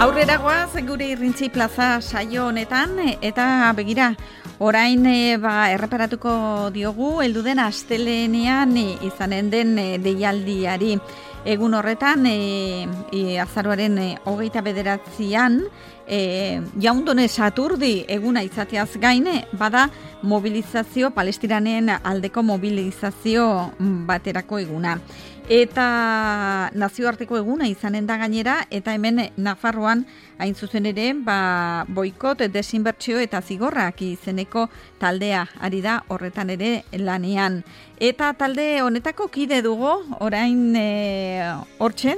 Aurrera goaz gure Irrintzi Plaza saio honetan eta begira, orain erreparatuko diogu heldu den astelehenean izanen den deialdiari. Egun horretan, azaroaren 29an, Jaundone Saturdi eguna izateaz gain, bada mobilizazio, Palestinanen aldeko mobilizazio baterako eguna. Eta nazioarteko eguna izanen da gainera, eta hemen Nafarroan hain zuzen ere, boikot, desinbertsio eta zigorrak izeneko taldea ari da horretan ere lanean. Eta talde honetako kide dugu, orain hortxe,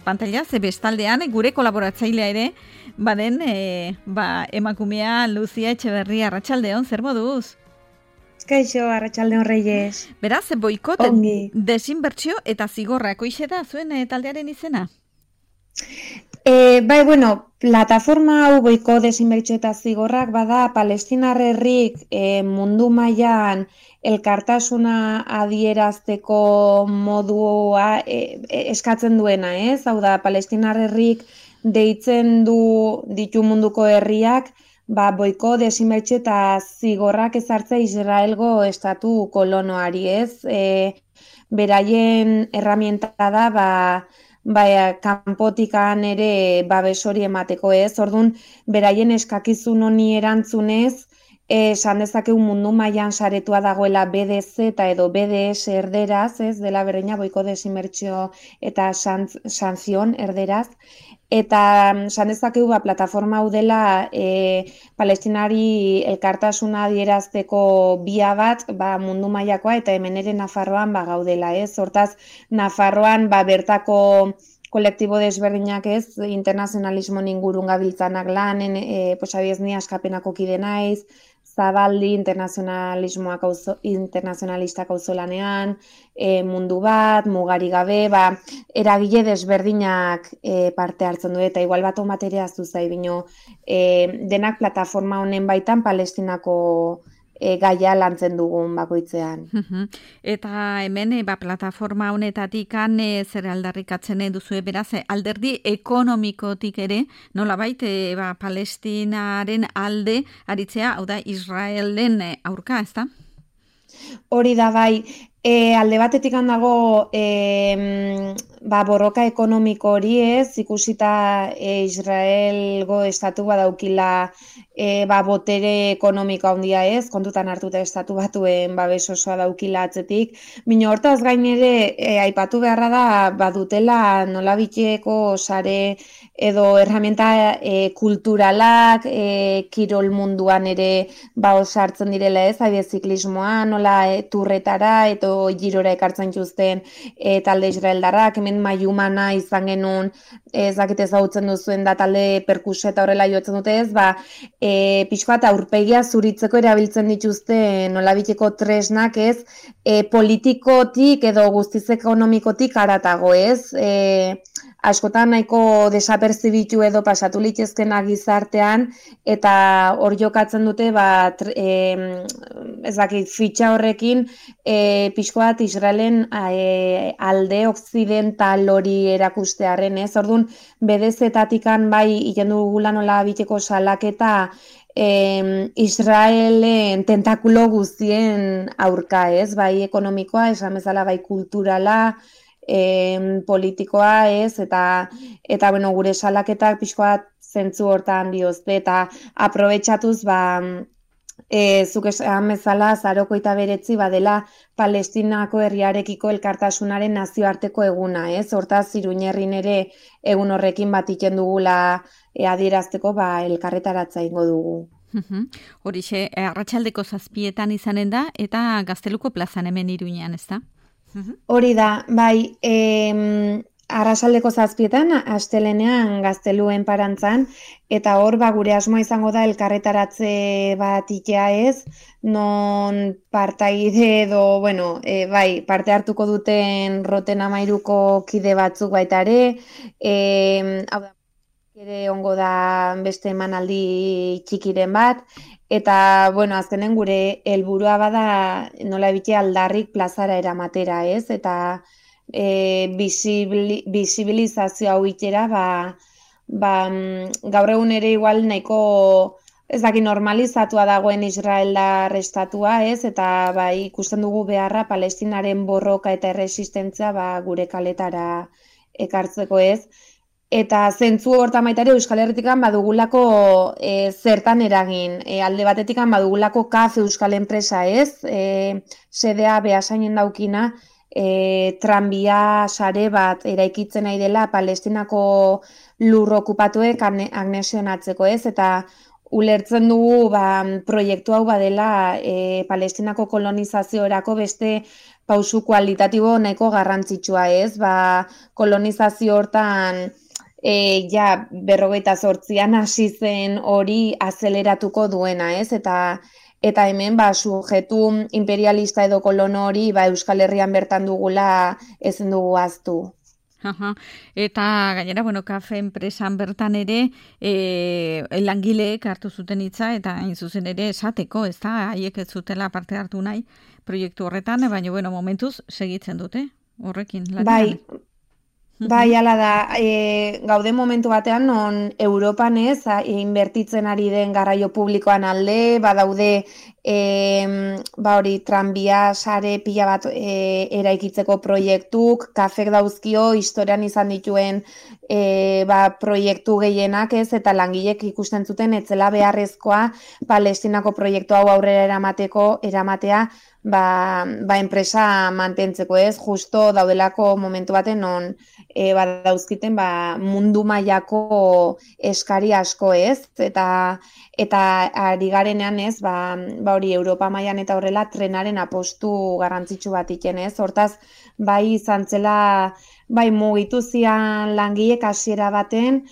pantaila, bestaldean, gure kolaboratzailea ere, baden, emakumea Luzia Etxeberria, arratsaldeon, zer moduz? Kaixo, arratsaldeon Reyes. Beraz, boikot, desinbertsio eta zigorrak, hoixe da zuen taldearen izena? Plataforma hau boikot, desinbertsio eta zigorrak bada Palestinar herrik mundu mailan elkartasuna adierazteko modua eskatzen duena, ez? Hau da, Palestinar herrik deitzen ditu munduko herriak, boiko, desinbertsio eta zigorrak ezartzea Israelgo estatu kolonoari, ez? Beraien erramienta da, kanpotikan ere babes hori emateko, ez? Orduan, beraien eskakizun honi erantzunez, esan dezakegu mundu mailan saretua dagoela BDZ eta edo BDS erderaz, ez? Dela berdina boiko, desinbertsio eta sanzion erderaz. Eta esan dezakegu plataforma hau dela Palestinari elkartasuna adierazteko bia bat mundu mailakoa eta hemen ere Nafarroan gaudela, ez? Hortaz, Nafarroan bertako kolektibo desberdinak, ez, internazionalismo ingurun gabiltzanak lanen, abiez ni askapenako kide naiz, Zabaldi internazionalistak auzolanean, mundu bat, mugari gabe, eragile desberdinak parte hartzen du, eta igual bat omaterea zuzai bino, denak plataforma honen baitan Palestinako gaia lantzen dugun bakoitzean. Eta hemen, plataforma honetatik zer aldarrikatzen duzue, beraz, alderdi ekonomikotik ere, nolabait, Palestinaren alde aritzea, hau da, Israelen aurka, ez da? Hori da, bai. Alde batetik dago borroka ekonomiko hori, ez, ikusita Israelgo estatu badaukila botere ekonomiko handia, ez, kontutan hartuta estatu batuen babes osoa daukila atzetik. Bino hortaz gain ere aipatu beharra da badutela nolabiteko sare edo erramienta kulturalak kirol munduan ere osartzen direla, ez, ziklismoa, nola turretara edo girora ekartzen txuzten talde israeldarrak, hemen Maiumana izan genuen, ezakit ezagutzen duzuen da talde perkusio eta horrela jotzen dute, ez, pixkoa eta aurpegia zuritzeko erabiltzen dituzte nolabiteko tresnak, ez, politikotik edo guztiz ekonomikotik haratago, ez, askotan nahiko desaperzibitu edo pasatu litezkena gizartean, eta hor jokatzen dute, fitxa horrekin, pixko bat Israelen alde okzidental hori erakustearen, ez? Orduan, bedezetatikan ikendu gula nola biteko salaketa Israelen tentakulo guztien aurka, ez? Bai ekonomikoa, esan bezala bai kulturala, politikoa, ez? Eta gure salaketak pixko bat zentzu hortan diozte, eta aprobetxatuz, zuk esan bezala, azaroko eta beretzi badela Palestinako herriarekiko elkartasunaren nazioarteko eguna, ez? Hortaz, Iruñerrin ere egun horrekin iken dugula adierazteko elkarretaratza ingo dugu. Horixe, arratsaldeko 7:00 izanen da, eta Gazteluko plazan hemen Iruñean, ez da? Hori da, bai, arratsaldeko 7:00 astelehenean Gazteluen parantzan, eta hor gure asmoa izango da elkarretaratze bat itea, ez, non partaide edo, parte hartuko duten Roten 13ko kide batzuk baita ere, hau da, ere ongo da beste emanaldi txikiren bat, eta, azkenen gure helburua bada nola ebite aldarrik plazara eramatera, ez, eta bizibilizazio hau itera, gaur egun ere igual nahiko ez daki normalizatua dagoen Israeldar estatua, ez? Eta ikusten dugu beharra Palestinaren borroka eta erresistentzia gure kaletara ekartzeko, ez? Eta zentzu hortan baita ere Euskal Herritikan badugulako zertan eragin. Alde batetikan badugulako KAF Euskal Enpresa, ez? Sedea Beasainen daukina, tranbia sare bat eraikitzen nahi dela Palestinako lur okupatuek anexionatzeko, ez? Eta ulertzen dugu proiektu hau badela Palestinako kolonizaziorako beste pausu kualitatibo nahiko garrantzitsua, ez? Kolonizazio hortan ja 58an hasi zen hori azeleratuko duena, ez? Eta hemen sujetu imperialista edo kolono hori Euskal Herrian bertan dugula ezin dugu ahaztu. Eta gainera, kafe enpresan bertan ere langileek hartu zuten hitza eta hain zuzen ere esateko, ez da, haiek ez zutela parte hartu nahi proiektu horretan, baina momentuz segitzen dute horrekin. Lanean. Bai, ala da, gaude momentu batean non Europan ez, inbertitzen ari den garraio publikoan alde, badaude hori tranbia sare pila bat eraikitzeko proiektuk, kafek dauzkio historian izan dituen proiektu gehienak, ez, eta langilek ikusten zuten etzela beharrezkoa Palestinako proiektu hau aurrera eramatea enpresa mantentzeko, ez, justo daudelako momentu baten non dauzkiten mundu mailako eskari asko, ez, eta ari garenean, ez, hori Europa mailan eta horrela trenaren apostu garrantzitsu bat iken, ez, hortaz, izan zela, mugitu zian langilek hasiera baten,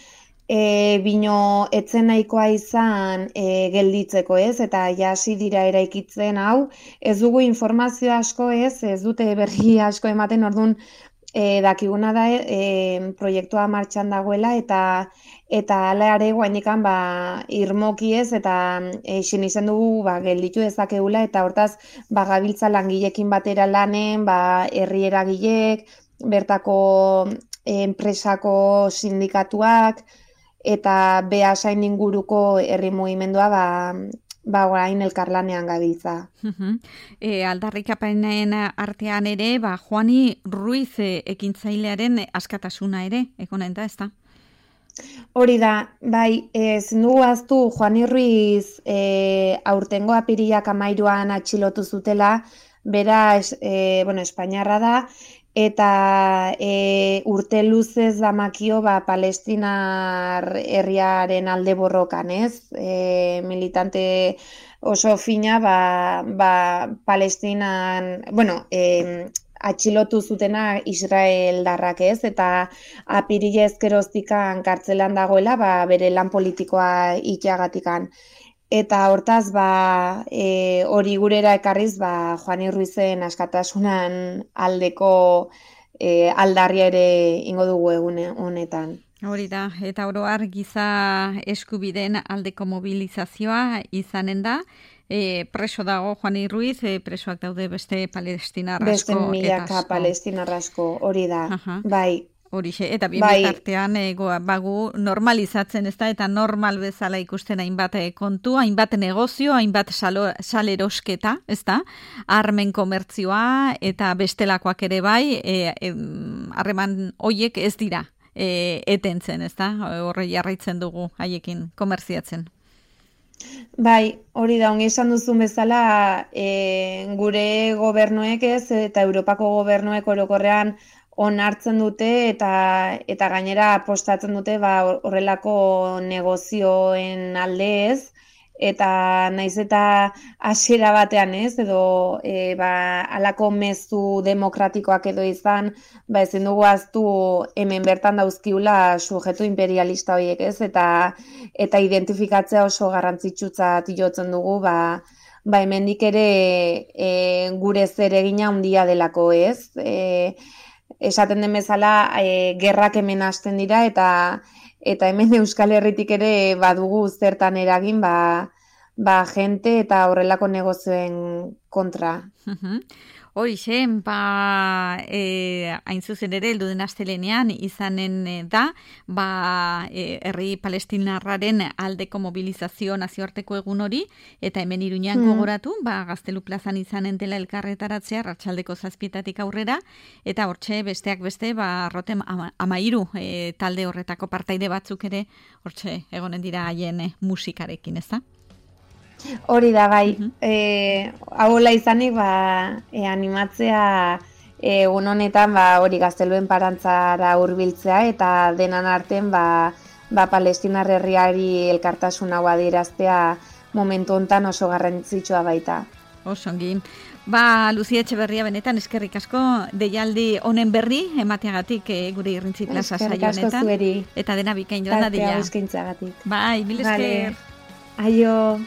bino etzen nahikoa izan gelditzeko, ez, eta hasi dira eraikitzen hau, ez dugu informazio asko, ez dute berri asko ematen, orduan dakiguna da proiektua martxan dagoela eta hala ere guainikan irmoki ez eta izen izan dugu gelditu dezakeula eta hortaz gabiltza langilekin batera lanen, herri eragilek, bertako enpresako sindikatuak eta Beasain inguruko herri mugimendua orain elkarlanean gabiltza. Aldarrikapenen artean ere, Juani Ruiz ekintzailearen askatasuna ere, ekonen da, ez da? Hori da, ezin dugu ahaztu Juani Ruiz aurtengo apirilak 13an atxilotu zutela, bera, Espainiarra da, eta urte luzez damakio Palestinar herriaren alde borrokan, ez? Militante oso fina Palestinan, atxilotu zutena Israeldarrak, ez? Eta apirila ezkeroztikan kartzelan dagoela bere lan politikoa iteagatikan. Eta hortaz, hori gurera ekarriz, Juani Ruizen askatasunan aldeko aldarria ere ingo dugu egun honetan. Hori da, eta oro har giza eskubideen aldeko mobilizazioa izanen da. Preso dago Juani Ruiz, presoak daude beste palestinar asko. Beste milaka palestinar asko, hori da, bai. Horixe, eta bien bitartean bagu normalizatzen, ez da, eta normal bezala ikusten hainbat kontu, hainbat negozio, hainbat salerosketa, ez da, armen komertzioa eta bestelakoak ere harreman hoiek ez dira etentzen, ez da, horre jarraitzen dugu haiekin komerziatzen. Bai, hori da, ongi esan duzun bezala, gure gobernuek ez, eta Europako gobernuek orokorrean onartzen dute eta gainera apostatzen dute horrelako negozioen alde ez, eta naiz eta hasiera batean ez, edo halako mezu demokratikoak edo izan, ezin dugu ahaztu hemen bertan dauzkiula sujetu imperialista horiek ez, eta identifikatzea oso garrantzitsutzat jotzen dugu, hemendik ere gure zeregina handia delako ez, esaten den bezala gerrak hemen hasten dira eta hemen Euskal Herritik ere badugu zertan eragin jente eta horrelako negozioen kontra. Hoixe, hain zuzen ere, heldu den astelenean izanen da, herri palestinarraren aldeko mobilizazio nazioarteko egun hori, eta hemen Iruñean gogoratu, Gaztelu plazan izanen dela elkarretaratzea, arratsaldeko 7 aurrera, eta hortxe besteak beste, Rotem 13 talde horretako partaide batzuk ere, hortxe egonen dira haien musikarekin, ez da? Hori da, bai. Hauela izanik, animatzea egun honetan hori Gazteluen parantzara hurbiltzea eta denan arten Palestinar herriari elkartasun hau adieraztea momentu hontan oso garrantzitsua baita. Osongi. Lucia Etxeberria, benetan eskerrik asko deialdi honen berri emateagatik gure Irrintzi Plaza saio honetan. Eskerrik asko zueri. Eta dena bikain joan da dela. Tartea eskaintzagatik. Bai, mil esker. Aio.